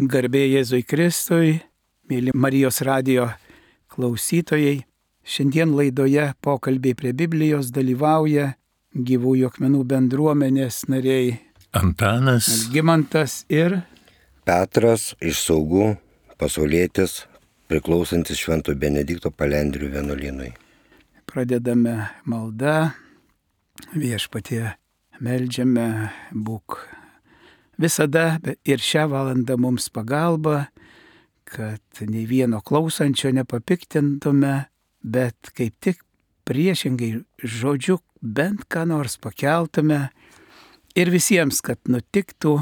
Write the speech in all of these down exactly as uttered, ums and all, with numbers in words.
Garbė Jėzui Kristui, mėly Marijos radijo klausytojai. Šiandien laidoje pokalbiai prie Biblijos dalyvauja Gyvųjų akmenų bendruomenės nariai Antanas, Algimantas ir Petras iš Saugų, pasaulietis, priklausantis Švento Benedikto Palendrių vienuolynui. Pradedame maldą, Viešpatie meldžiame, būk visada ir šią valandą mums pagalba, kad nei vieno klausančio nepapiktintume, bet kaip tik priešingai žodžiu bent ką nors pakeltume ir visiems, kad nutiktų,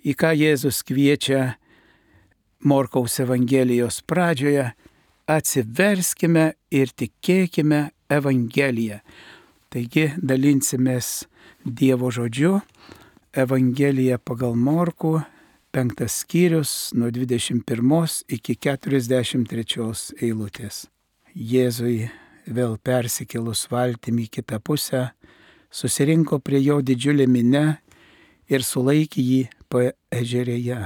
į ką Jėzus kviečia Morkaus Evangelijos pradžioje: atsiverskime ir tikėkime Evangeliją. Taigi dalinsimės Dievo žodžiu. Evangelija pagal Morkų, penktas skyrius, nuo dvidešimt pirmos iki keturiasdešimt trečios eilutės. Jėzui vėl persikėlus valtimi į kitą pusę, susirinko prie jo didžiulė minia ir sulaikė jį paežerėje.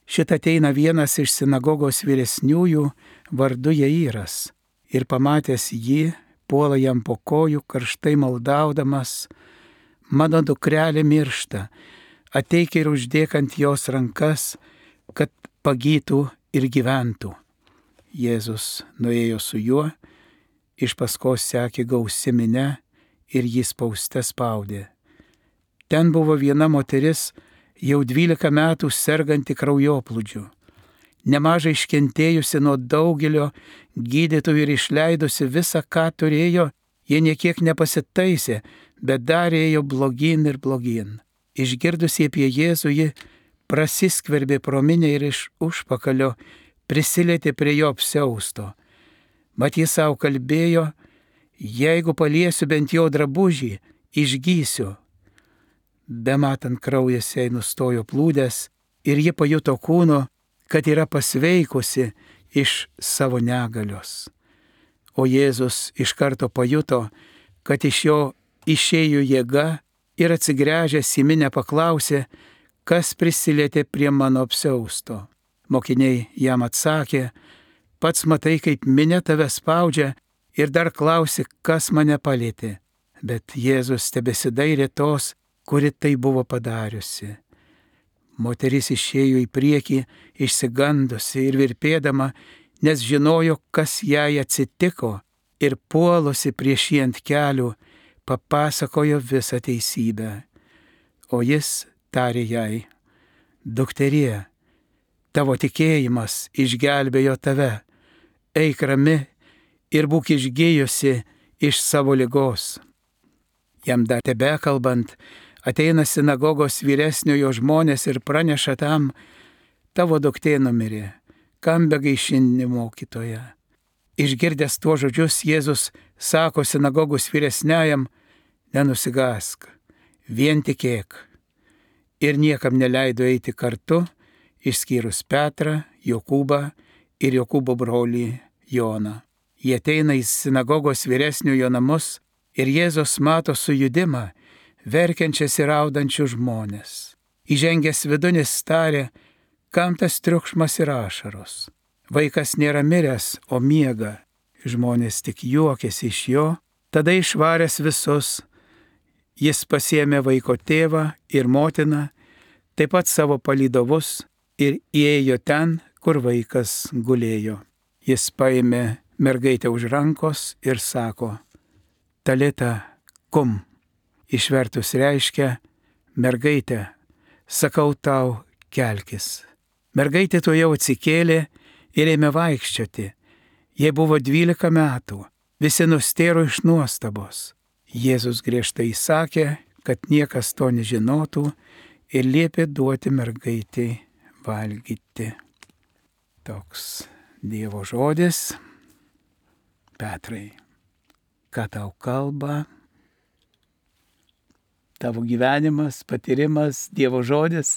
Šit ateina vienas iš sinagogos vyresniųjų vardu Jairas ir pamatęs jį, puola jam po kojų, karštai maldaudamas: mano dukrelė miršta, ateik ir uždėk ant jos rankas, kad pagytų ir gyventų. Jėzus nuėjo su juo, iš paskos sekė gausi minia ir jį spauste spaudė. Ten buvo viena moteris, jau dvylika metų serganti kraujoplūdžiu, nemažai iškentėjusi nuo daugelio gydytojų ir išleidusi visą, ką turėjo, jie niekiek nepasitaisė, bet dar ėjo blogyn ir blogyn. Išgirdusi apie Jėzų, ji prasiskverbė pro minią ir iš užpakalio prisilietė prie jo apsiausto. Mat jis savo kalbėjo: jeigu paliesiu bent jo drabužį, išgysiu. Bematant kraujas jai nustojo plūdęs ir ji pajuto kūno, kad yra pasveikusi iš savo negalios. O Jėzus iš karto pajuto, kad iš jo išėjo jėga ir atsigręžęs į minią paklausė: kas prisilietė prie mano apsiausto? Mokiniai jam atsakė: pats matai, kaip minia tave spaudžia, ir dar klausi, kas mane palietė. Bet Jėzus tebesidairė tos, kuri tai buvo padariusi. Moteris išėjo į priekį, išsigandusi ir virpėdama, nes žinojo, kas jai atsitiko, ir puolusi prieš jį ant kelių, papasakojo visą teisybę. O jis tarė jai: dukterie, tavo tikėjimas išgelbėjo tave, eik rami ir būk išgijusi iš savo ligos. Jam dar tebekalbant, ateina sinagogos vyresniojo žmonės ir praneša tam: tavo duktė numirė, kam begaišini mokytoją. Išgirdęs tuos žodžius, Jėzus sako sinagogos vyresniajam: nenusigask, vien tikėk. Ir niekam neleido eiti kartu, išskyrus Petrą, Jokūbą ir Jokūbo brolį Joną. Jie ateina į sinagogos vyresniojo namus ir Jėzus mato sujudimą, verkiančias ir raudančius žmonės. Įžengęs vidun jis tarė: kam tas triukšmas ir ašaros? Vaikas nėra miręs, o miega. Žmonės tik juokėsi iš jo. Tada išvaręs visus, jis pasiėmė vaiko tėvą ir motiną, taip pat savo palydovus, ir įėjo ten, kur vaikas gulėjo. Jis paėmė mergaitę už rankos ir sako: talita kum. Išvertus reiškia: mergaitė, sakau tau, kelkis. Mergaitė tuojau atsikėlė ir ėmė vaikščioti. Jai buvo dvylika metų, visi nustėro iš nuostabos. Jėzus griežtai įsakė, kad niekas to nežinotų, ir liepė duoti mergaitei valgyti. Toks Dievo žodis. Petrai, ką tau kalba tavo gyvenimas, patyrimas, Dievo žodis?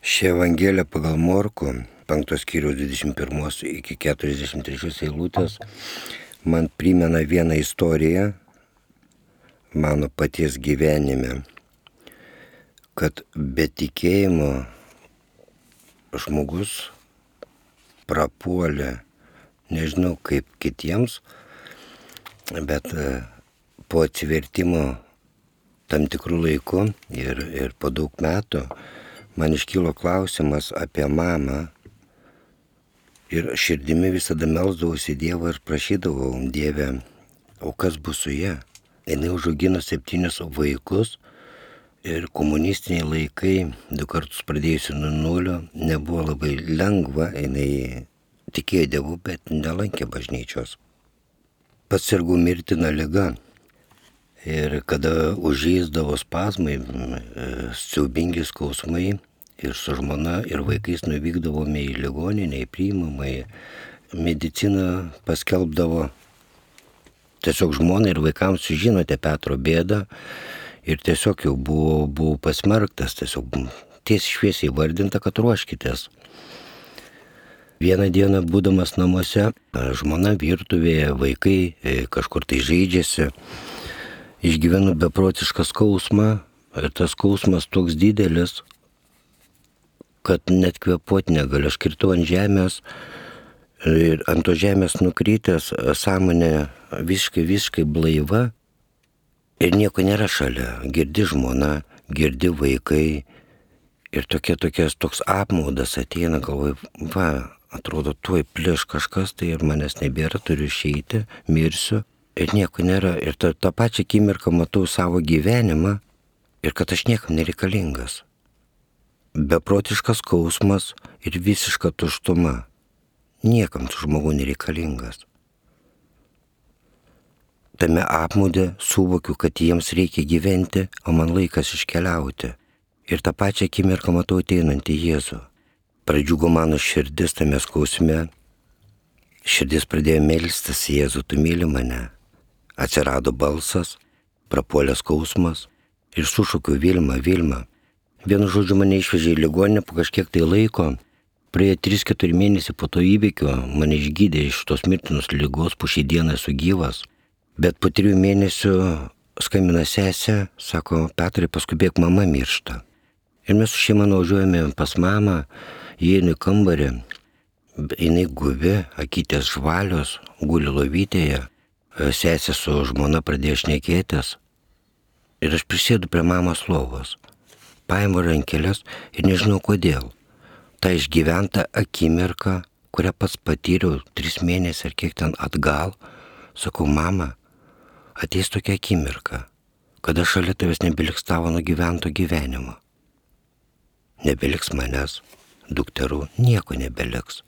Ši Evangelija pagal Morkų, penktos skyriaus dvidešimt pirmos iki keturiasdešimt trečios eilutės, man primena vieną istoriją mano paties gyvenime, kad be tikėjimo žmogus prapuolė, nežinau kaip kitiems, bet po atsivertimo tam tikrų laikų ir, ir po daug metų man iškilo klausimas apie mamą ir širdimi visada melsdavausi Dievą ir prašydavau Dievę, o kas bus su ja? Jinai užaugino septynius vaikus ir komunistiniai laikai, du kartus pradėjusi nuo nulio, nebuvo labai lengva, jinai tikėjo Dievu, bet nelankė bažnyčios. Pats sirgau mirtina liga ir kada užžeisdavo spazmai, siaubingi skausmai ir su žmona ir vaikais nuvykdavome į ligoninę, į priimamąjį, medicina paskelbdavo tiesiog žmonai ir vaikams, žinote Petro bėdą ir tiesiog jau buvau, buvau pasmerktas, tiesiog tiesiai šviesiai vardinta, kad ruoškitės. Vieną dieną būdamas namuose, žmona virtuvėje, vaikai kažkur tai žaidžiasi, išgyvenu beprotišką skausmą ir tas skausmas toks didelis, kad net kvėpuoti negaliu. Aš kirtau ant žemės ir ant to žemės nukrytęs, sąmonė visiškai, visiškai blaiva ir nieko nėra šalia. Girdi žmona, girdi vaikai ir tokie, tokies, toks apmaudas ateina, galvoju, va, atrodo, tuoj pliš kažkas, tai ir manęs nebėra, turiu išeiti, mirsiu ir nieko nėra. Ir tą, tą pačią akimirką matau savo gyvenimą ir kad aš niekam nereikalingas. Beprotiškas skausmas ir visiška tuštuma. Niekam tu žmogų nereikalingas. Tame apmaude suvokiu, kad jiems reikia gyventi, o man laikas iškeliauti. Ir tą pačią akimirką matau ateinantį Jėzų. Pradžiugo mano širdis tame skausme. Širdis pradėjo melstis, Jėzų, tu myli mane. Atsirado balsas, prapuolė skausmas ir sušaukiu Vilma, Vilma. Vienu žodžiu mane išvežė į ligoninę po kažkiek tai laiko. Praėjo trys keturi mėnesiai po to įvykio, mane išgydė iš tos mirtinos ligos, po šiai dieną esu gyvas. Bet po trijų mėnesių skambina sesė, sako, Petrai, paskubėk, mama miršta. Ir mes su šeima nuvažiuojame pas mamą, įeinu į kambarį, jinai guvi, akytės žvalios, guli lovytėje, sesė su žmona pradėjo šnekėtis. Ir aš prisėdu prie mamos lovos. Paimu rankelės ir nežinau kodėl. Ta išgyventa akimirka, kurią pats patyriau tris mėnesius ar kiek ten atgal, sakau, mama, ateis tokia akimirka, kada šalia tavęs nebeliks tavo nugyvento gyvenimo. Nebeliks manęs, dukterų, nieko nebeliks.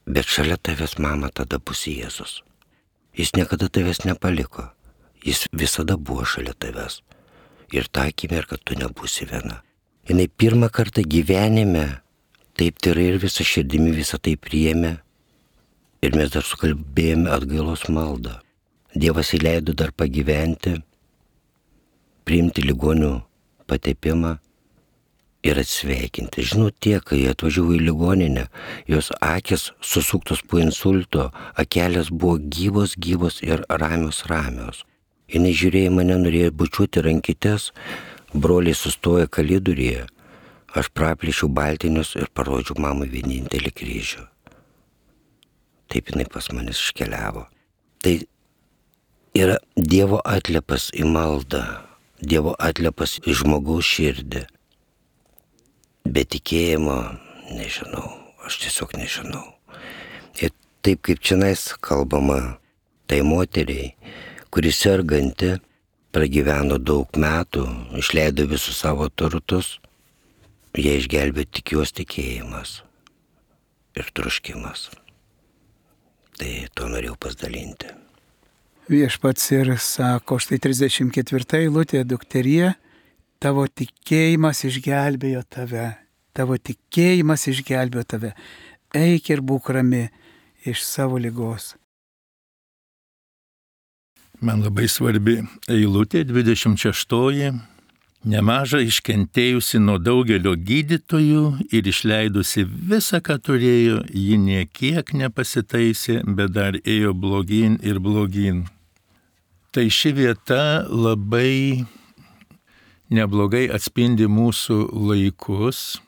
Bet šalia tavęs, mama, tada bus Jėzus. Jis niekada tavęs nepaliko. Jis visada buvo šalia tavęs. Ir tą akimirką tu nebūsi viena. Jinai pirmą kartą gyvenime taip tyrai ir visą širdimi visą tai priėmė. Ir mes dar sukalbėjome atgailos maldą. Dievas įleido dar pagyventi, priimti ligonių patepimą ir atsveikinti. Žinau, tie, kai atvažiavo į ligoninę, jos akis susuktos po insulto, akelės buvo gyvos, gyvos ir ramios, ramios. Jinai žiūrėjo mane, norėjo bučiuoti rankytes, broliai sustojo kalidurėje, aš praplėšiau baltinius ir parodžiau mamai vienintelį kryžių. Taip jinai pas manis iškeliavo. Tai yra Dievo atliepas į maldą, Dievo atliepas į žmogaus širdį. Be tikėjimo, nežinau, aš tiesiog nežinau. Ir taip kaip čionais kalbama, tai moteriai, kuri serganti, pragyveno daug metų, išleido visus savo turtus, jie išgelbė tik jos tikėjimas ir troškimas. Tai to norėjau pasidalinti. Viešpats ir sako, štai trisdešimt ketvirta eilutė, dukterie, tavo tikėjimas išgelbėjo tave, tavo tikėjimas išgelbėjo tave, eik ir būk rami iš savo ligos. Man labai svarbi eilutė, dvidešimt šeštoji. Nemaža iškentėjusi nuo daugelio gydytojų ir išleidusi visą, ką turėjo, ji niekiek nepasitaisė, bet dar ėjo blogyn ir blogyn. Tai ši vieta labai neblogai atspindi mūsų laikus.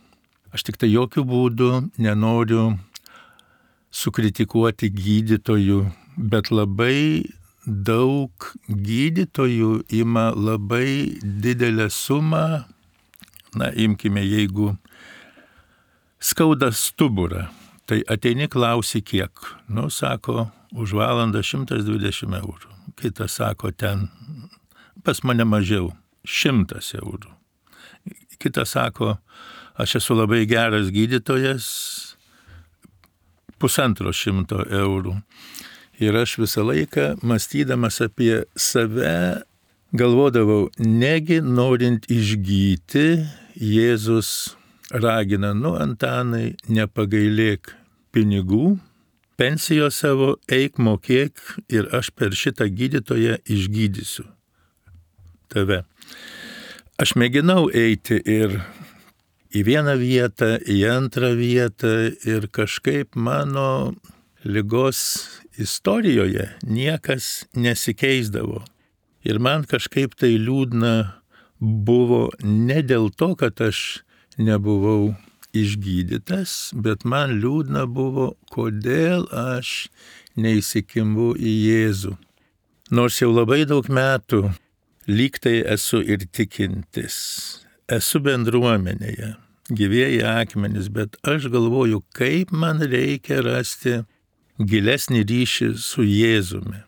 Aš tik tai jokių būdų nenoriu sukritikuoti gydytojų, bet labai daug gydytojų ima labai didelę sumą, na, imkime, jeigu skauda stuburą, tai ateini klausi kiek. Nu, sako, už valandą šimtas dvidešimt eurų. Kitas sako, ten pas mane mažiau, šimtas eurų. Kitas sako, aš esu labai geras gydytojas, pusantro šimto eurų. Ir aš visą laiką, mąstydamas apie save, galvodavau, negi norint išgyti, Jėzus ragina, nu, Antanai, nepagailėk pinigų, pensijos savo eik mokėk ir aš per šitą gydytoją išgydysiu tave. Aš mėginau eiti ir į vieną vietą, į antrą vietą ir kažkaip mano ligos istorijoje niekas nesikeisdavo. Ir man kažkaip tai liūdna buvo ne dėl to, kad aš nebuvau išgydytas, bet man liūdna buvo, kodėl aš neįsikimbu į Jėzų. Nors jau labai daug metų lyg tai esu ir tikintis, esu bendruomenėje, gyvieji akmenys, bet aš galvoju, kaip man reikia rasti gilesnį ryšį su Jėzumi.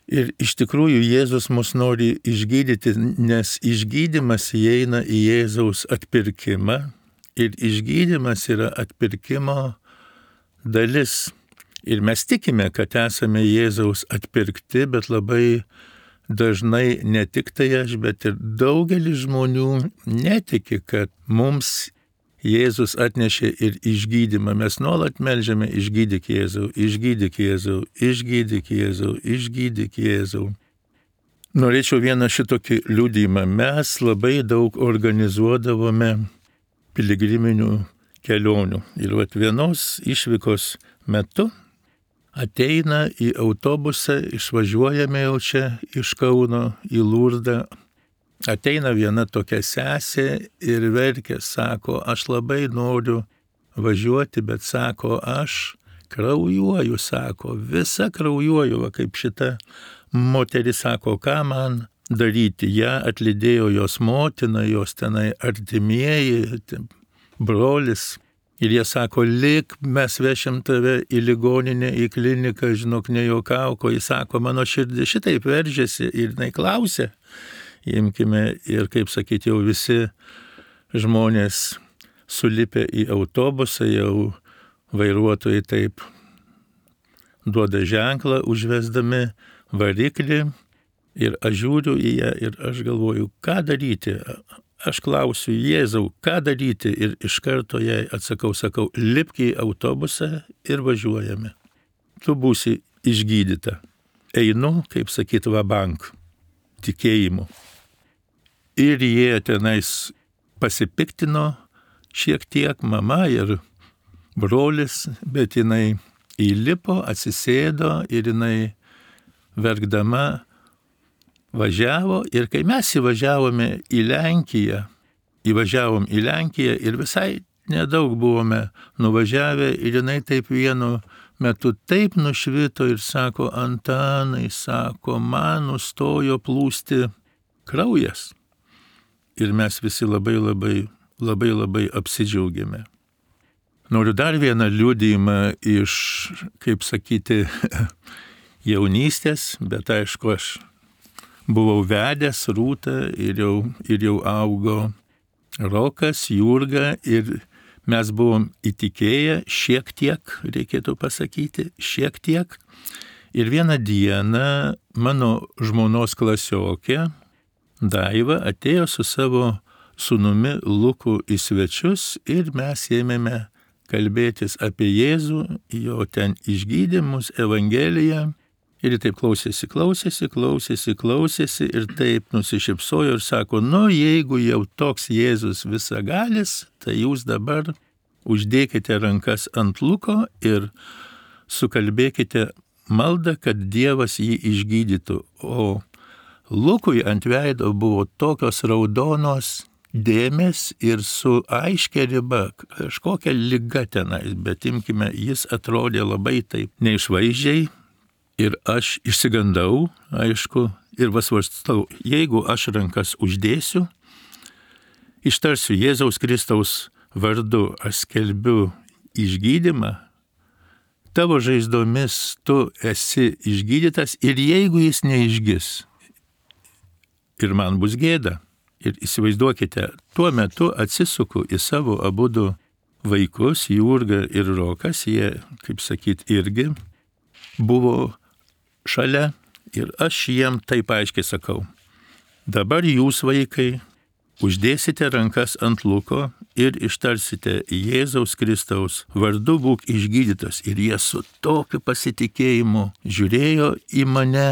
Ir iš tikrųjų Jėzus mus nori išgydyti, nes išgydymas įeina į Jėzaus atpirkimą ir išgydymas yra atpirkimo dalis. Ir mes tikime, kad esame Jėzaus atpirkti, bet labai dažnai ne tik tai aš, bet ir daugelis žmonių netiki, kad mums Jėzus atnešė ir išgydymą. Mes nuolat melžiame išgydyk Jėzau, išgydyk Jėzau, išgydyk Jėzau, išgydyk Jėzau. Norėčiau vieną šitokį liudijimą. Mes labai daug organizuodavome piligriminių kelionių. Ir vat vienos išvykos metu ateina į autobusą, išvažiuojame jau čia iš Kauno į Lurdą. Ateina viena tokia sesė ir verkia, sako, aš labai noriu važiuoti, bet sako, aš kraujuoju, sako, visa kraujuoju, va, kaip šita moteris sako, ką man daryti. Ja atlydėjo jos motina, jos tenai artimieji, brolis. Ir jie sako, lik, mes vešim tave į ligoninę, į kliniką, žinok, nejuokauko. Jis sako, mano širdis šitaip veržėsi ir jinai klausė. Imkime ir, kaip sakyti, jau visi žmonės sulipę į autobusą, jau vairuotojai taip duoda ženklą, užvesdami variklį. Ir aš žiūriu į ją ir aš galvoju, ką daryti. Aš klausiu, Jėzau, ką daryti? Ir iš karto jai atsakau, sakau, lipk į autobusą ir važiuojame. Tu būsi išgydyta. Einu, kaip sakyti, va bank, tikėjimu. Ir jie tenais pasipiktino šiek tiek, mama ir brolis, bet jinai įlipo, atsisėdo ir jinai verkdama važiavo. Ir kai mes įvažiavome į Lenkiją, įvažiavom į Lenkiją ir visai nedaug buvome nuvažiavę ir jinai taip vienu metu taip nušvito ir sako, Antanai, sako, man nustojo plūsti kraujas. Ir mes visi labai labai, labai labai apsidžiaugėme. Noriu dar vieną liudijimą iš, kaip sakyti, jaunystės, bet aišku, aš buvau vedęs Rūtą ir jau, ir jau augo Rokas, Jurga ir mes buvom įtikėję šiek tiek, reikėtų pasakyti, šiek tiek. Ir vieną dieną mano žmonos klasiokė Daiva atėjo su savo sūnumi Luku į svečius ir mes ėmėme kalbėtis apie Jėzų, jo ten išgydymus, Evangeliją. Ir taip klausėsi, klausėsi, klausėsi, klausėsi ir taip nusišypsojo ir sako, nu jeigu jau toks Jėzus visagalis, tai jūs dabar uždėkite rankas ant Luko ir sukalbėkite maldą, kad Dievas jį išgydytų. O Lukui ant veido buvo tokios raudonos dėmes ir su aiškia riba, kažkokia liga tenais, bet imkime, jis atrodė labai taip neišvaizdžiai ir aš išsigandau, aišku, ir vasvarstau, jeigu aš rankas uždėsiu, ištarsiu Jėzaus Kristaus vardu, aš skelbiu išgydymą, tavo žaizdomis tu esi išgydytas ir jeigu jis neišgis, ir man bus gėda. Ir įsivaizduokite, tuo metu atsisuku į savo abudu vaikus, Jurgą ir Rokas, jie, kaip sakyt, irgi buvo šalia ir aš jiem taip aiškiai sakau, dabar jūs vaikai uždėsite rankas ant Luko ir ištarsite Jėzaus Kristaus vardu būk išgydytas. Ir jie su tokiu pasitikėjimu žiūrėjo į mane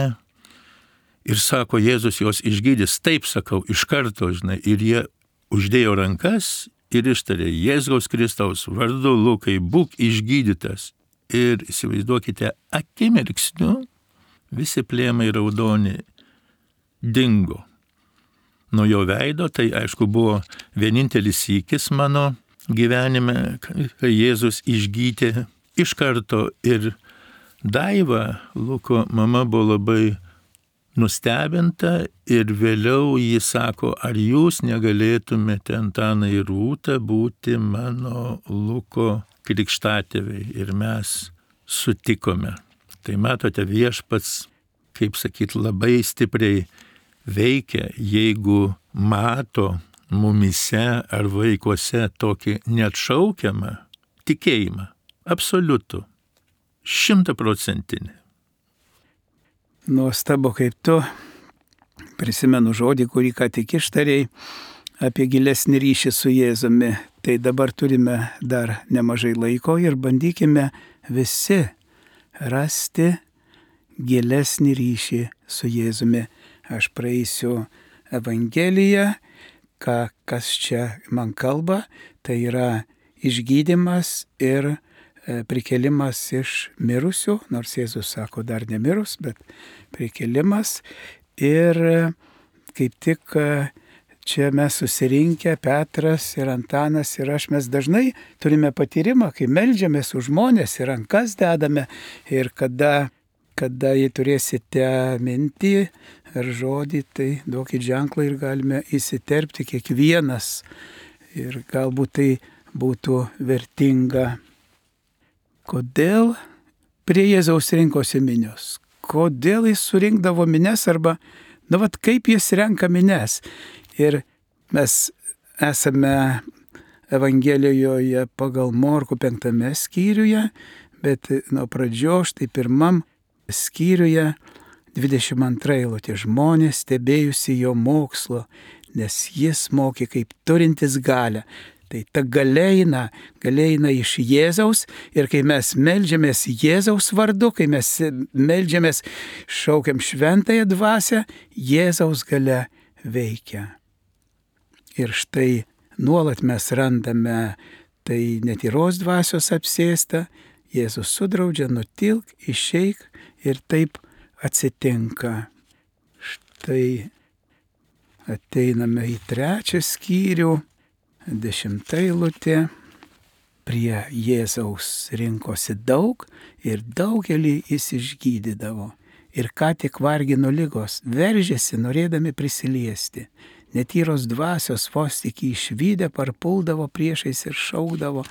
ir sako, Jėzus juos išgydys. Taip sakau, iš karto, žinai, ir jie uždėjo rankas ir ištarė Jėzaus Kristaus vardu Lukai būk išgydytas. Ir įsivaizduokite, akimirksniu visi plėmai raudoni dingo. Nuo jo veido, tai aišku buvo vienintelis sykis mano gyvenime, kai Jėzus išgydė iš karto. Ir Daiva, Luko mama, buvo labai nustebinta ir vėliau jis sako, ar jūs negalėtumėte, Antanai ir Rūta, būti mano Luko krikštatėviai. Ir mes sutikome. Tai matote, viešpats, kaip sakyt, labai stipriai veikia, jeigu mato mumise ar vaikuose tokį neatšaukiamą tikėjimą, absoliutų, šimtaprocentinį. Nuostabu, kaip tu, prisimenu žodį, kurį ką tik ištarėjai, apie gilesnį ryšį su Jėzumi. Tai dabar turime dar nemažai laiko ir bandykime visi rasti gilesnį ryšį su Jėzumi. Aš praeisiu Evangeliją, ką, kas čia man kalba, tai yra išgydymas ir prikėlimas iš mirusių, nors Jėzus sako dar nemirus, bet prikėlimas. Ir kaip tik čia mes susirinkę, Petras ir Antanas ir aš, mes dažnai turime patyrimą, kai meldžiamės už žmonės ir rankas dedame. Ir kada, kada jį turėsite mintį ar žodį, tai duokit ženklą ir galime įsiterpti kiekvienas. Ir galbūt tai būtų vertinga. Kodėl prie Jėzaus rinkosi minios? Kodėl jis surinkdavo mines arba, nu vat kaip jis renka mines? Ir mes esame Evangelijoje pagal Morkų penktame skyriuje, bet nuo pradžios štai pirmam skyriuje dvidešimt antra eilutė. Žmonės stebėjusi jo mokslo, nes jis mokė kaip turintis galią. Tai ta galia eina, galia eina iš Jėzaus ir kai mes meldžiamės Jėzaus vardu, kai mes meldžiamės, šaukiam šventąją dvasią, Jėzaus galia veikia. Ir štai nuolat mes randame tai netyros dvasios apsėsta, Jėzus sudraudžia, nutilk, išeik ir taip atsitinka. Štai ateiname į trečią skyrių. Dešimta eilutė. Prie Jėzaus rinkosi daug ir daugelį jis išgydydavo. Ir ką tik vargino ligos, veržėsi norėdami prisiliesti. Netyros dvasios vos tik išvydę parpuldavo priešais ir šaukdavo,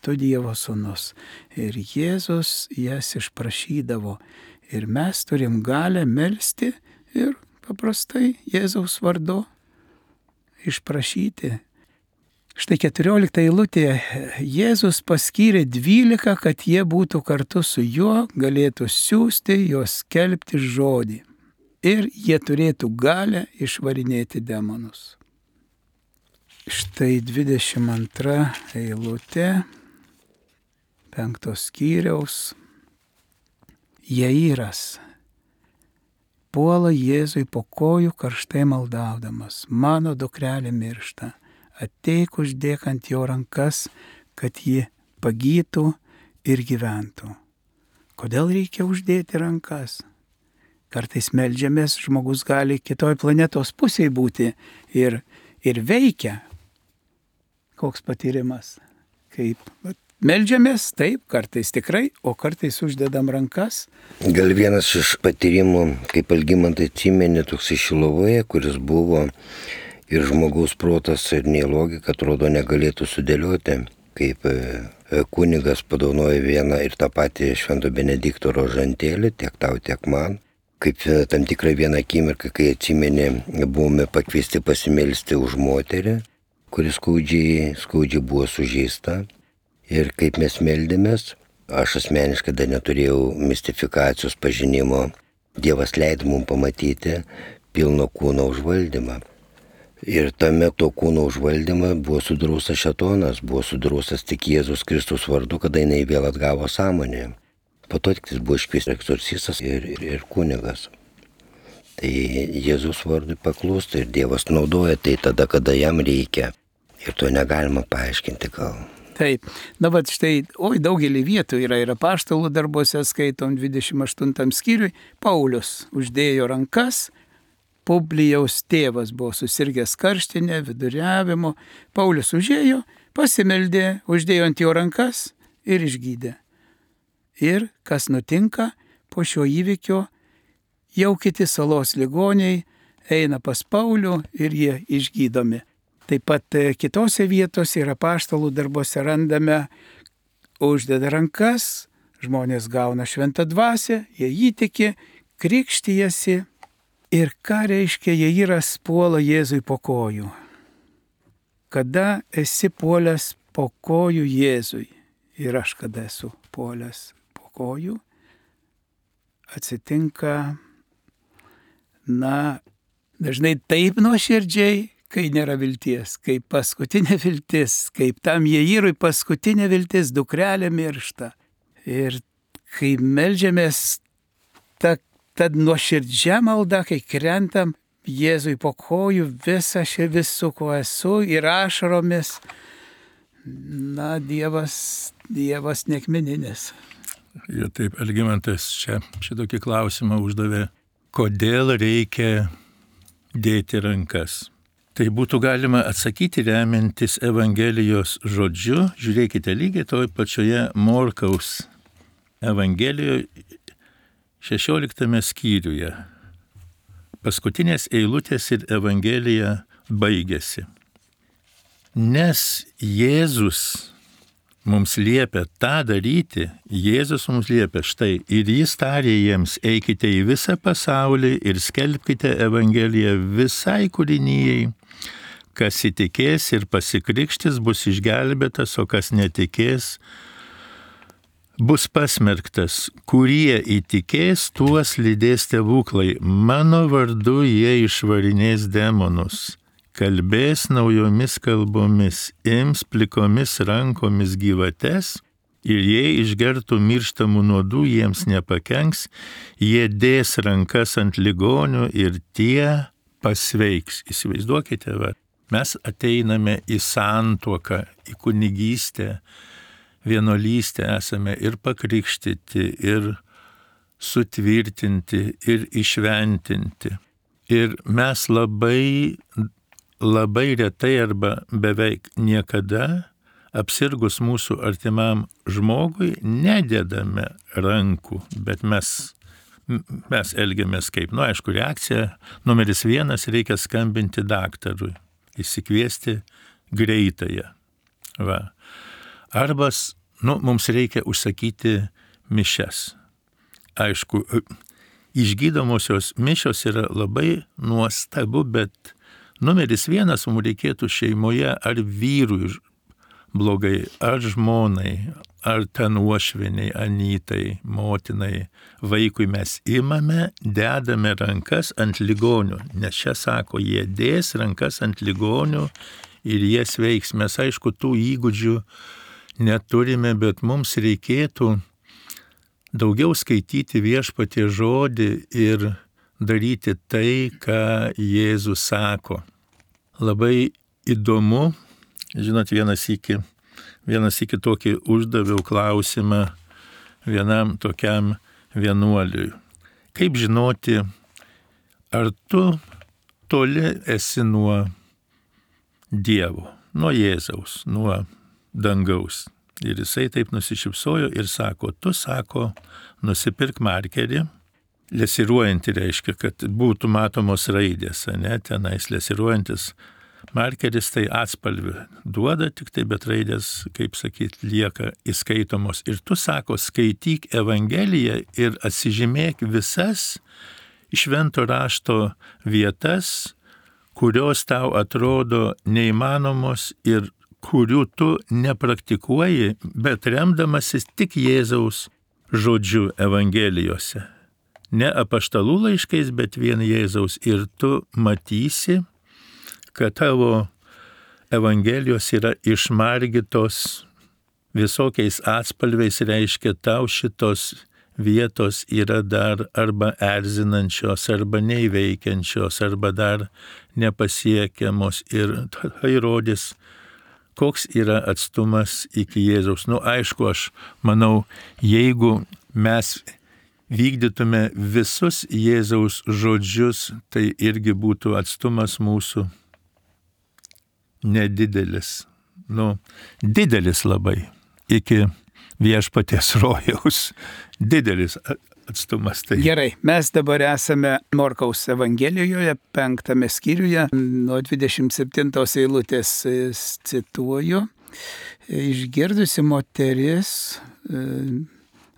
tu Dievo sūnus. Ir Jėzus jas išprašydavo. Ir mes turim galę melsti ir paprastai Jėzaus vardu išprašyti. Štai keturiolikta eilutė. Jėzus paskyrė dvylika, kad jie būtų kartu su juo, galėtų siųsti, juos skelbti žodį. Ir jie turėtų galę išvarinėti demonus. Štai dvidešimt antra eilutė, penktos skyriaus. Jairas puola Jėzui po kojų karštai maldaudamas, mano dukrelė miršta. Ateik uždėk ant jo rankas, kad ji pagytų ir gyventų. Kodėl reikia uždėti rankas? Kartais meldžiamės, žmogus gali kitoj planetos pusėje būti ir, ir veikia. Koks patyrimas? Kaip meldžiamės, taip, kartais tikrai, o kartais uždedam rankas. Gal vienas iš patyrimų, kaip Algimantai atsimeni, toks iš Šilovoje, kuris buvo ir žmogaus protas ir nei logika, atrodo, negalėtų sudėlioti, kaip kunigas padaunoja vieną ir tą patį Švento Benedikto rožantėlį, tiek tau, tiek man. Kaip tam tikrą vieną akimirką, kai atsimeni, buvome pakviesti pasimelsti už moterį, kuris skaudžiai, skaudžiai buvo sužeista. Ir kaip mes meldėmės, aš asmeniškai dar neturėjau mistifikacijos pažinimo. Dievas leido mums pamatyti pilno kūno užvaldymą. Ir tame to kūno užvaldymą buvo sudraustas šėtonas, buvo sudraustas tik Jėzus Kristus vardu, kada jinai vėl atgavo sąmonę. Po to tik jis buvo iškviestas egzorcistas ir, ir, ir kunigas. Tai Jėzus vardui paklūsta ir Dievas naudoja tai tada, kada jam reikia. Ir to negalima paaiškinti gal. Taip, na bet štai, oi, daugelį vietų yra ir apaštalų darbuose, skaitom dvidešimt aštuntam skyriui, Paulius uždėjo rankas, Publijaus tėvas buvo susirgęs karštinę, viduriavimo, Paulius užėjo, pasimeldė, uždėjo ant jo rankas ir išgydė. Ir kas nutinka po šio įvykio, jau kiti salos ligoniai eina pas Paulių ir jie išgydomi. Taip pat kitose vietose ir apaštalų darbuose randame, uždeda rankas, žmonės gauna šventą dvasią, jie įtiki, krikštijasi ir ką reiškia jie yra puola Jėzui po kojų. Kada esi puolęs po kojų Jėzui ir aš kada esu puolęs po kojų, atsitinka, na, dažnai taip nuoširdžiai, kai nėra vilties, kaip paskutinė viltis, kaip tam Jairui paskutinė viltis, dukrelė miršta. Ir kai meldžiamės ta, ta nuoširdžia malda, kai krentam Jėzui po kojų, visą šią visų, ko esu, ir ašaromis, na, Dievas, Dievas nekmeninis. Ir taip, Algimantas čia šitokį klausimą uždavė, kodėl reikia dėti rankas. Tai būtų galima atsakyti remiantis Evangelijos žodžiu. Žiūrėkite, lygiai toj pačioje Morkaus Evangelijoje šešioliktame skyriuje. Paskutinės eilutės ir Evangelija baigėsi. Nes Jėzus mums liepia tą daryti, Jėzus mums liepia štai, ir jis tarė jiems, eikite į visą pasaulį ir skelbkite Evangeliją visai kūrinijai. Kas įtikės ir pasikrikštys, bus išgelbėtas, o kas netikės, bus pasmerktas. Kurie įtikės, tuos lydės stebuklai. Mano vardu jie išvarinės demonus, kalbės naujomis kalbomis, ims plikomis rankomis gyvates ir jei išgertų mirštamų nuodų, jiems nepakenks, jie dės rankas ant ligonių ir tie pasveiks. Įsivaizduokite, va. Mes ateiname į santuoką, į kunigystę, vienuolystę, esame ir pakrikštyti, ir sutvirtinti, ir išventinti. Ir mes labai, labai retai arba beveik niekada, apsirgus mūsų artimam žmogui, nededame rankų, bet mes, mes elgiamės kaip, nu aišku, reakcija numeris vienas, reikia skambinti daktarui. Įsikviesti greitąją. Va. Arba, nu, mums reikia užsakyti mišias. Aišku, išgydomosios mišios yra labai nuostabu, bet numeris vienas mums reikėtų šeimoje ar vyrui blogai, ar žmonai, ar ten uošviniai, anytai, motinai, vaikui mes imame, dedame rankas ant ligonių, nes čia sako, jie dės rankas ant ligonių ir jie sveiks. Mes aišku, tų įgūdžių neturime, bet mums reikėtų daugiau skaityti Viešpaties žodį ir daryti tai, ką Jėzus sako. Labai įdomu, žinot, vienas iki, vienas iki tokį uždaviau klausimą vienam tokiam vienuoliui. Kaip žinoti, ar tu toli esi nuo Dievo, nuo Jėzaus, nuo dangaus. Ir jisai taip nusišypsojo ir sako, tu, sako, nusipirk markerį, lesiruojantį reiškia, kad būtų matomos raidės, ne, tenais lesiruojantis markeris tai atspalvį duoda, tik tai bet raidės, kaip sakyt, lieka įskaitomos. Ir tu, sako, skaityk Evangeliją ir atsižymėk visas švento rašto vietas, kurios tau atrodo neįmanomos ir kurių tu nepraktikuoji, bet remdamasis tik Jėzaus žodžiu Evangelijose. Ne apaštalų laiškais, bet vien Jėzaus. Ir tu matysi, kad tavo Evangelijos yra išmargytos visokiais atspalviais, reiškia tau šitos vietos yra dar arba erzinančios, arba neįveikiančios, arba dar nepasiekiamos. Ir tai rodys, koks yra atstumas iki Jėzaus. Nu, aišku, aš manau, jeigu mes vykdytume visus Jėzaus žodžius, tai irgi būtų atstumas mūsų nedidelis, nu, didelis labai, iki viešpaties rojaus, didelis atstumas. Tai. Gerai, mes dabar esame Morkaus Evangelijoje, penktame skyriuje, nuo dvidešimt septintos eilutės cituoju, išgirdusi moteris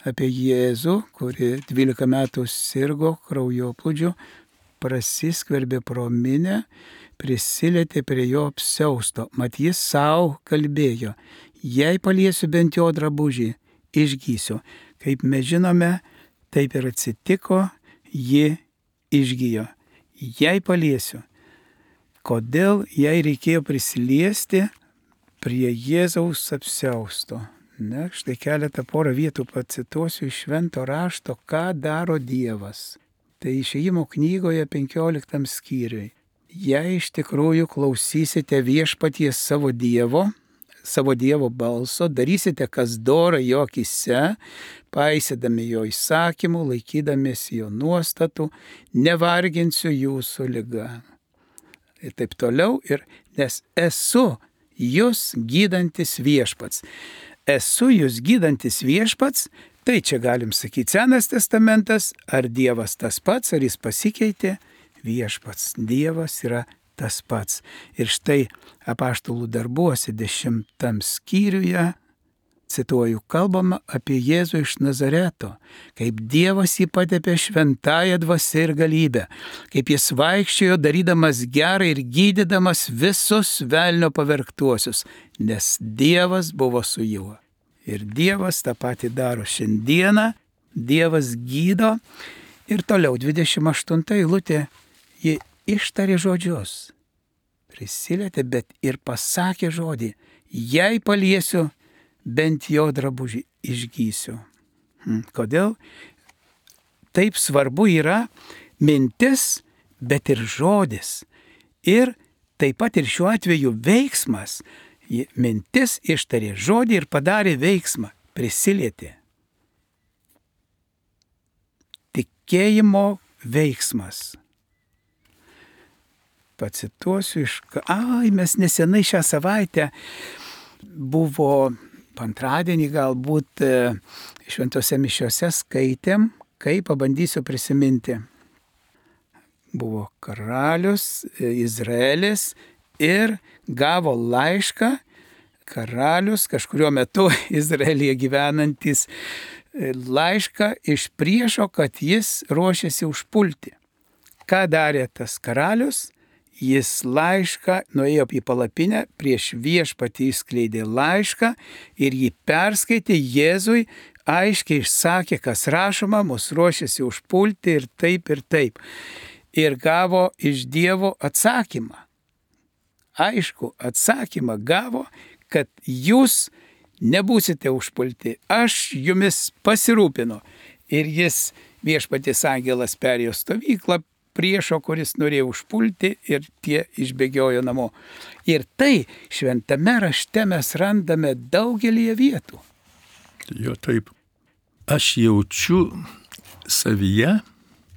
apie Jėzų, kuri dvylika metų sirgo kraujoplūdžiu, prasiskverbė pro minią, prisilietė prie jo apsiausto, mat jis savo kalbėjo, jei paliesiu bent jo drabužį, išgysiu. Kaip mes žinome, taip ir atsitiko, ji išgijo. Jei paliesiu. Kodėl jai reikėjo prisiliesti prie Jėzaus apsiausto? Ne, štai keletą porą vietų pacituosiu iš švento rašto, ką daro Dievas. Tai Išėjimo knygoje penkioliktam skyriui. Jei iš tikrųjų klausysite viešpaties savo Dievo, savo Dievo balso, darysite kas dora jo akyse, paisydami jo įsakymų, laikydamiesi jo nuostatų, nevarginsiu jūsų liga. Ir taip toliau, ir nes esu jūs gydantis viešpats. Esu jūs gydantis viešpats, tai čia galim sakyti Senas testamentas, ar Dievas tas pats, ar jis pasikeitė, viešpats, Dievas yra tas pats. Ir štai apaštalų darbuose dešimtam skyriuje, cituoju, kalbama apie Jėzų iš Nazareto, kaip Dievas jį patepė šventąją dvasią ir galybę, kaip jis vaikščiojo darydamas gerą ir gydydamas visus velnio pavergtuosius, nes Dievas buvo su juo. Ir Dievas tą patį daro šiandieną, Dievas gydo. Ir toliau dvidešimt aštunta eilutė, ji ištarė žodžius, prisilietė, bet ir pasakė žodį, jei paliesiu bent jo drabužį, išgysiu. Kodėl? Taip svarbu yra mintis, bet ir žodis. Ir taip pat ir šiuo atveju veiksmas. Mintis ištarė žodį ir padarė veiksmą, prisilietė. Tikėjimo veiksmas. Pacituosiu iš... Ai, mes nesenai šią savaitę buvo antradienį galbūt šventose mišiose skaitėm, kai pabandysiu prisiminti. Buvo karalius Izraelis ir gavo laišką, karalius kažkurio metu Izraelyje gyvenantis laišką iš priešo, kad jis ruošiasi užpulti. Ką darė tas karalius? Jis laišką nuėjo į palapinę, prieš viešpatį išskleidė laišką ir jį perskaitė Jėzui, aiškiai išsakė, kas rašoma, mus ruošiasi užpulti ir taip ir taip. Ir gavo iš Dievo atsakymą. Aišku, atsakymą gavo, kad jūs nebūsite užpulti, aš jumis pasirūpinu. Ir jis, viešpaties angelas, perėjo stovyklą priešo, kuris norėjo užpulti, ir tie išbėgiojo namo. Ir tai šventame rašte mes randame daugelį vietų. Jo, taip. Aš jaučiu savyje,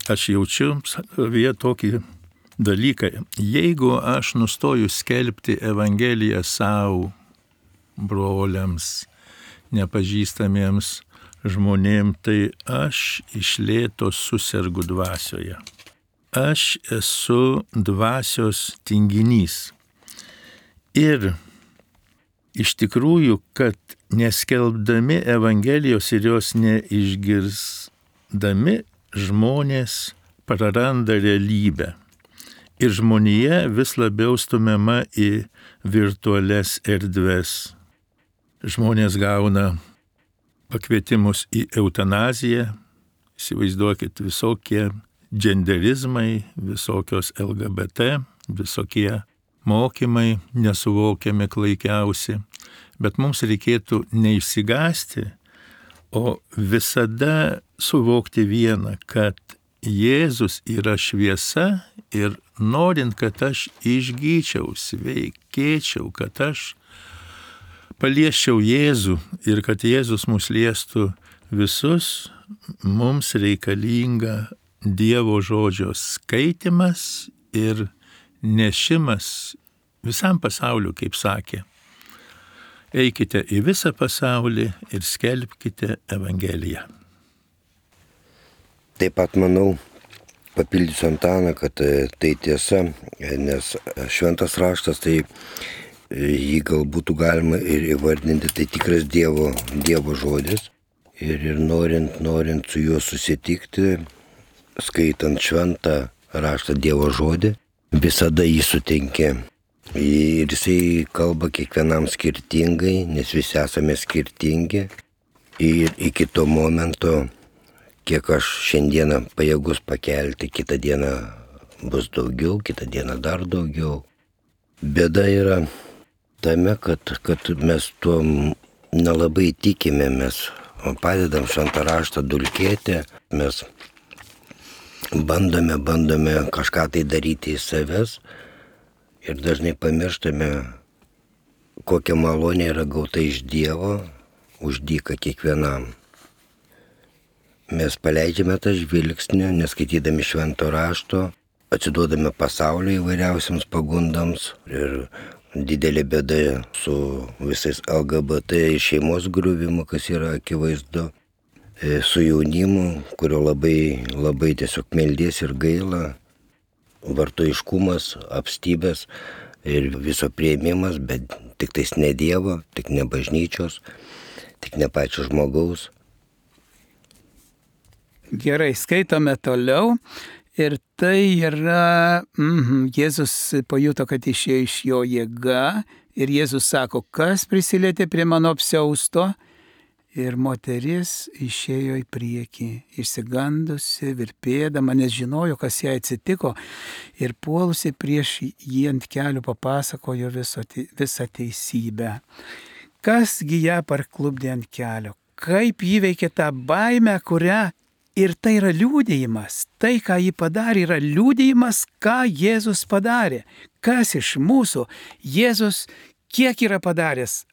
aš jaučiu savyje tokį dalyką. Jeigu aš nustoju skelbti Evangeliją savo broliams, nepažįstamiems žmonėm, tai aš iš lėto susergu dvasioje. Aš esu dvasios tinginys. Ir iš tikrųjų, kad neskelbdami Evangelijos ir jos neišgirsdami, žmonės praranda realybę. Ir žmonija vis labiau stumiama į virtualias erdves. Žmonės gauna pakvietimus į eutanaziją, įsivaizduokit, visokie genderizmai, visokios L G B T, visokie mokymai nesuvokiami klaikiausi. Bet mums reikėtų neišsigąsti, o visada suvokti vieną, kad Jėzus yra šviesa ir norint, kad aš išgyčiau, sveikėčiau, kad aš paliesčiau Jėzų ir kad Jėzus mus liestų visus, mums reikalinga Dievo žodžio skaitimas ir nešimas visam pasauliu, kaip sakė. Eikite į visą pasaulį ir skelbkite Evangeliją. Taip pat manau, papildysiu Antaną, kad tai tiesa, nes šventas raštas, tai jį gal būtų galima ir įvardinti, tai tikras Dievo, Dievo žodis. Ir, ir norint, norint su juo susitikti, skaitant šventą raštą Dievo žodį, visada jį sutinki. Ir jisai kalba kiekvienam skirtingai, nes visi esame skirtingi. Ir iki to momento, kiek aš šiandieną pajėgus pakelti, kitą dieną bus daugiau, kitą dieną dar daugiau. Bėda yra tame, kad, kad mes tuo nelabai tikime, mes padedam šventą raštą dulkėti, mes bandome, bandome kažką tai daryti į savęs ir dažnai pamirštame, kokia malonė yra gauta iš Dievo už dyką kiekvienam. Mes paleidžiame tą žvilgsnį, neskaitydami švento rašto, atsiduodame pasaulio įvairiausiams pagundams ir didelė bėda su visais L G B T šeimos griuvimu, kas yra akivaizdu, su jaunimu, kurio labai, labai tiesiog meldies ir gaila, vartojiškumas, apstybės ir viso priėmimas, bet tik tais ne Dievo, tik ne bažnyčios, tik ne pačio žmogaus. Gerai, skaitome toliau. Ir tai yra, mm, Jėzus pajuto, kad išėjo iš jo jėga. Ir Jėzus sako, kas prisilietė prie mano apsiausto. Ir moteris išėjo į priekį, išsigandusi, virpėdama, nes žinojo, kas jai atsitiko. Ir puolusi prieš jį ant kelių papasakojo viso, visą teisybę. Kasgi ją parklupdė ant kelio? Kaip jį veikė tą baimę, kurią... Ir tai yra liudijimas. Tai, ką jį padarė, yra liudijimas, ką Jėzus padarė. Kas iš mūsų Jėzus kiek yra padaręs?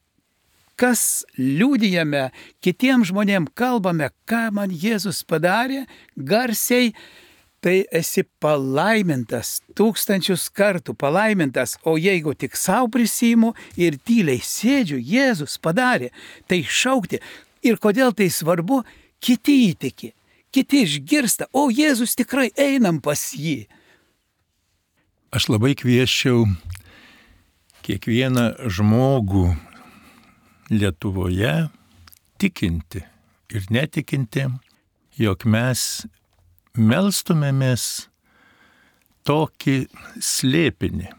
Kas liudijame, kitiems žmonėms kalbame, ką man Jėzus padarė, garsiai, tai esi palaimintas, tūkstančius kartų palaimintas, o jeigu tik savo prisiimu ir tyliai sėdžiu, Jėzus padarė, tai šaukti. Ir kodėl tai svarbu, kiti įtiki. Kiti išgirsta, o Jėzus tikrai einam pas jį. Aš labai kvieščiau kiekvieną žmogų Lietuvoje tikinti ir netikinti, jog mes melstumėmės tokį slėpinį.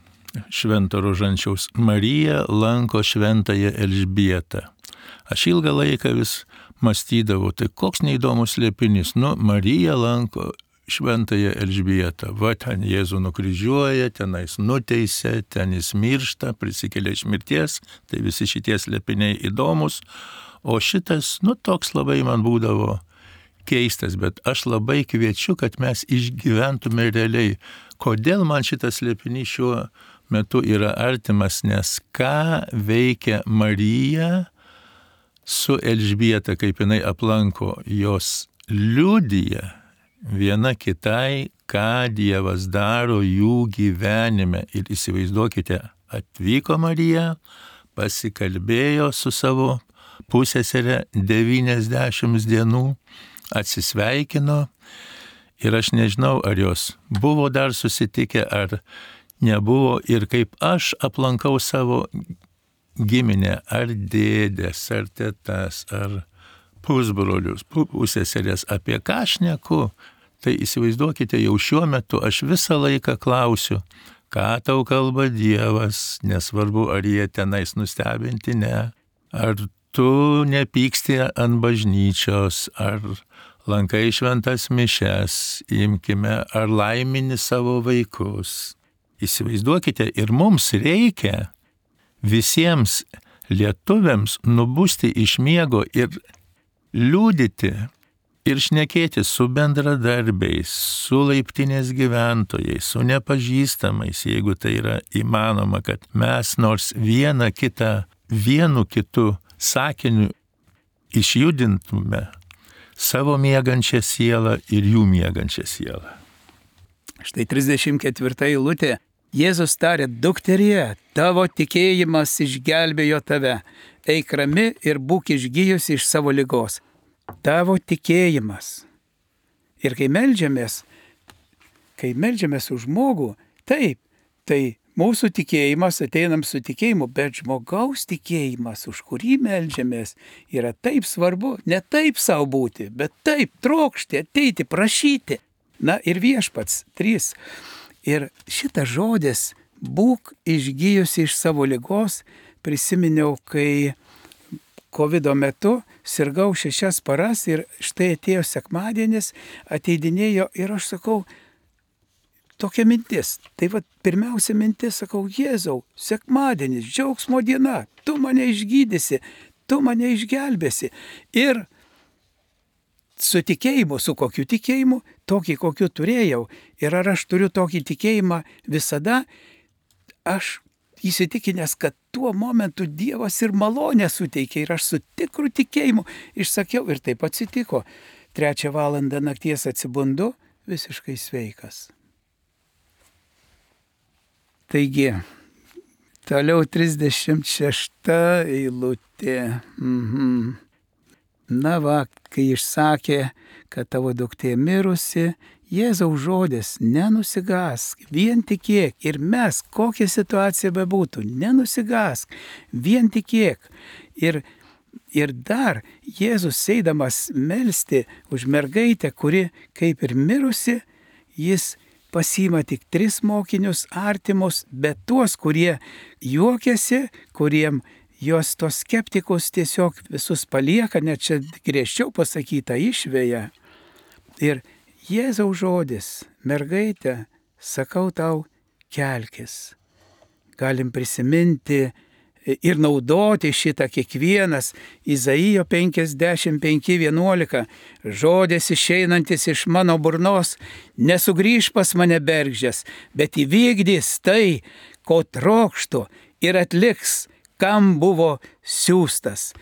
Švento Rožančiaus Marija lanko šventąją Elžbietą. Aš ilgą laiką vis mąstydavau, tai koks neįdomus slėpinys. Nu, Marija lanko šventąją Elžbietą. Va, ten Jėzų nukryžiuoja, tenais nuteisė, ten jis miršta, prisikelia iš mirties. Tai visi šitie slėpiniai įdomus. O šitas, nu, toks labai man būdavo keistas, bet aš labai kviečiu, kad mes išgyventume realiai. Kodėl man šitas slėpinys šiuo metu yra artimas, nes ką veikia Marija su Elžbieta, kaip jinai aplanko, jos liudija viena kitai, ką Dievas daro jų gyvenime. Ir įsivaizduokite, atvyko Marija, pasikalbėjo su savo pusseserė devyniasdešimt dienų, atsisveikino ir aš nežinau, ar jos buvo dar susitikę, ar nebuvo. Ir kaip aš aplankau savo giminę, ar dėdės, ar tetas, ar pusbrolius, pusseserės, apie ką aš šneku, tai įsivaizduokite, jau šiuo metu aš visą laiką klausiu, ką tau kalba Dievas, nesvarbu, ar jie tenais nustebinti, ne, ar tu nepyksti ant bažnyčios, ar lankai šventas mišes, imkime, ar laimini savo vaikus. Įsivaizduokite, ir mums reikia visiems lietuviams nubusti iš miego ir liūdyti ir šnekėti su bendradarbiais, su laiptinės gyventojais, su nepažįstamais, jeigu tai yra įmanoma, kad mes nors vieną kitą, vienu kitu sakiniu išjudintume savo miegančią sielą ir jų miegančią sielą. Štai trisdešimt ketvirta eilutė. Jėzus tarė, dukterie, tavo tikėjimas išgelbėjo tave. Eik rami ir būk išgijusi iš savo ligos. Tavo tikėjimas. Ir kai meldžiamės, kai meldžiamės už žmogų, taip, tai mūsų tikėjimas, ateinam su tikėjimu, bet žmogaus tikėjimas, už kurį meldžiamės, yra taip svarbu, ne taip savo būti, bet taip trokšti, ateiti, prašyti. Na ir viešpats, trys. Ir šitas žodis, būk išgijusi iš savo ligos, prisiminiau, kai kovido metu sirgau šešias paras ir štai atėjo sekmadienis, ateidinėjo ir aš sakau, tokia mintis. Tai va, pirmiausia mintis, sakau, Jėzau, sekmadienis, džiaugsmo diena, tu mane išgydysi, tu mane išgelbėsi. Ir su tikėjimu, su kokiu tikėjimu, tokį, kokiu turėjau. Ir ar aš turiu tokį tikėjimą visada, aš įsitikinęs, kad tuo momentu Dievas ir malonę suteikia. Ir aš su tikru tikėjimu išsakiau ir taip atsitiko. Trečią valandą nakties atsibundu, visiškai sveikas. Taigi, toliau trisdešimt šešta eilutė. Mhm. Na va, kai išsakė, kad tavo duktė mirusi, Jėzaus žodis, nenusigask, vien tikėk. Ir mes, kokia situacija bebūtų, nenusigask, vien tikėk. Ir, ir dar Jėzus eidamas melsti už mergaitę, kuri kaip ir mirusi, jis pasiima tik tris mokinius artimus, bet tuos, kurie juokiasi, kuriem jos tos skeptikus tiesiog visus palieka, net čia griežčiau pasakyta, išveja. Ir Jėzaus žodis, mergaitė, sakau tau, kelkis. Galim prisiminti ir naudoti šitą kiekvienas. Izaijo penkiasdešimt penki vienuolika. Žodis išeinantis iš mano burnos, nesugrįž pas mane bergždžias, bet įvykdys tai, ko trokštų ir atliks, kam buvo siųstas.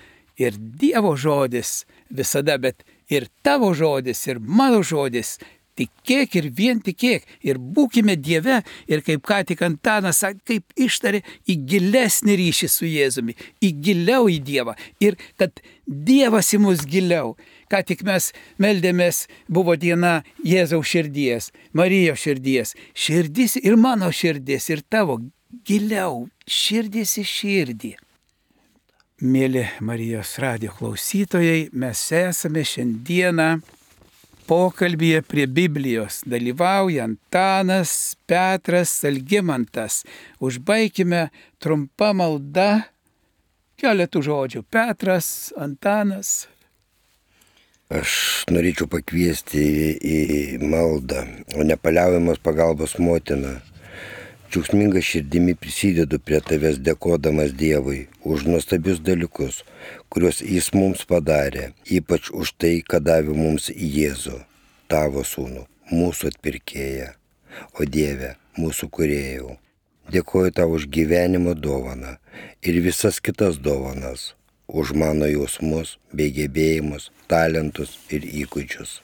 Ir Dievo žodis visada, bet ir tavo žodis, ir mano žodis. Tikėk ir vien tikėk. Ir būkime Dieve. Ir kaip ką tik Antanas, kaip ištarė, į gilesnį ryšį su Jėzumi. Į giliau į Dievą. Ir kad Dievas į mus giliau. Ką tik mes meldėmės, buvo diena Jėzaus širdies, Marijos širdies. Širdis ir mano širdis, ir tavo giliau. Širdis į širdį. Mėly Marijos radijo klausytojai, mes esame šiandieną pokalbyje prie Biblijos. Dalyvauja Antanas, Petras, Algimantas. Užbaikime trumpą maldą, keletų žodžių. Petras, Antanas. Aš norėčiau pakviesti į, į maldą, o nepaliaujamos pagalbos motiną. Džiaugsminga širdimi prisidedu prie tavęs dėkodamas Dievui už nuostabius dalykus, kuriuos Jis mums padarė, ypač už tai, kad davė mums Jėzų, tavo sūnų, mūsų atpirkėją, o Dieve, mūsų kūrėjau. Dėkoju tau už gyvenimo dovaną ir visas kitas dovanas, už mano jausmus bei gebėjimus, talentus ir įgūdžius.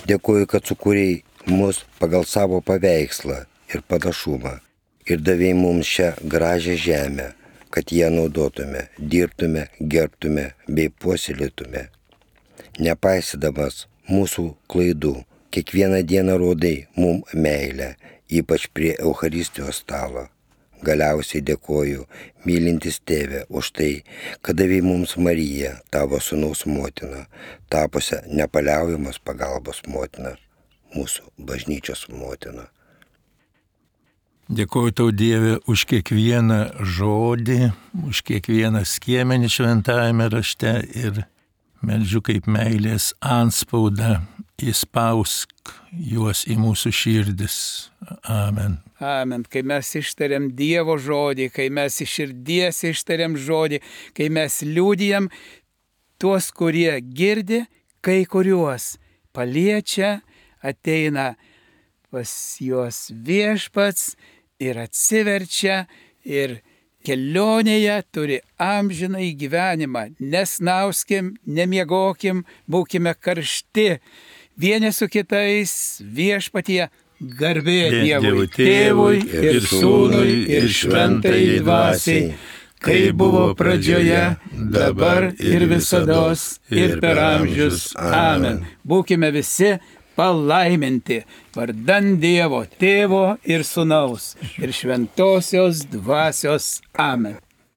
Dėkoju, kad sukūrei mus pagal savo paveikslą ir panašumą ir davei mums šią gražią žemę, kad ją naudotume, dirbtume, gerbtume bei puoselėtume. Nepaisydamas mūsų klaidų, kiekvieną dieną rodai mum meilę, ypač prie Eucharistijos stalo. Galiausiai dėkoju, mylintis Tėve, už tai, kad davei mums Mariją, tavo sūnaus motiną, tapusią nepaliaujamos pagalbos motiną, mūsų bažnyčios motiną. Dėkoju tau, Dieve, už kiekvieną žodį, už kiekvieną skiemenį šventajame rašte ir meldžiu kaip meilės antspaudą, įspausk juos į mūsų širdis. Amen. Amen. Kai mes ištariam Dievo žodį, kai mes iš širdies ištariam žodį, kai mes liūdijam, tuos, kurie girdi, kai kuriuos paliečia, ateina pas juos Viešpats ir atsiverčia ir kelionėje turi amžinai gyvenimą. Nesnauskim, nemiegokim, būkime karšti. Vieni su kitais Viešpatyje. Garbė Dievui, Tėvui ir Sūnui ir Šventai Dvasiai, kaip buvo pradžioje, dabar ir visados ir per amžius. Amen. Būkime visi palaiminti vardan Dievo, Tėvo ir Sūnaus ir Šventosios Dvasios. Amen.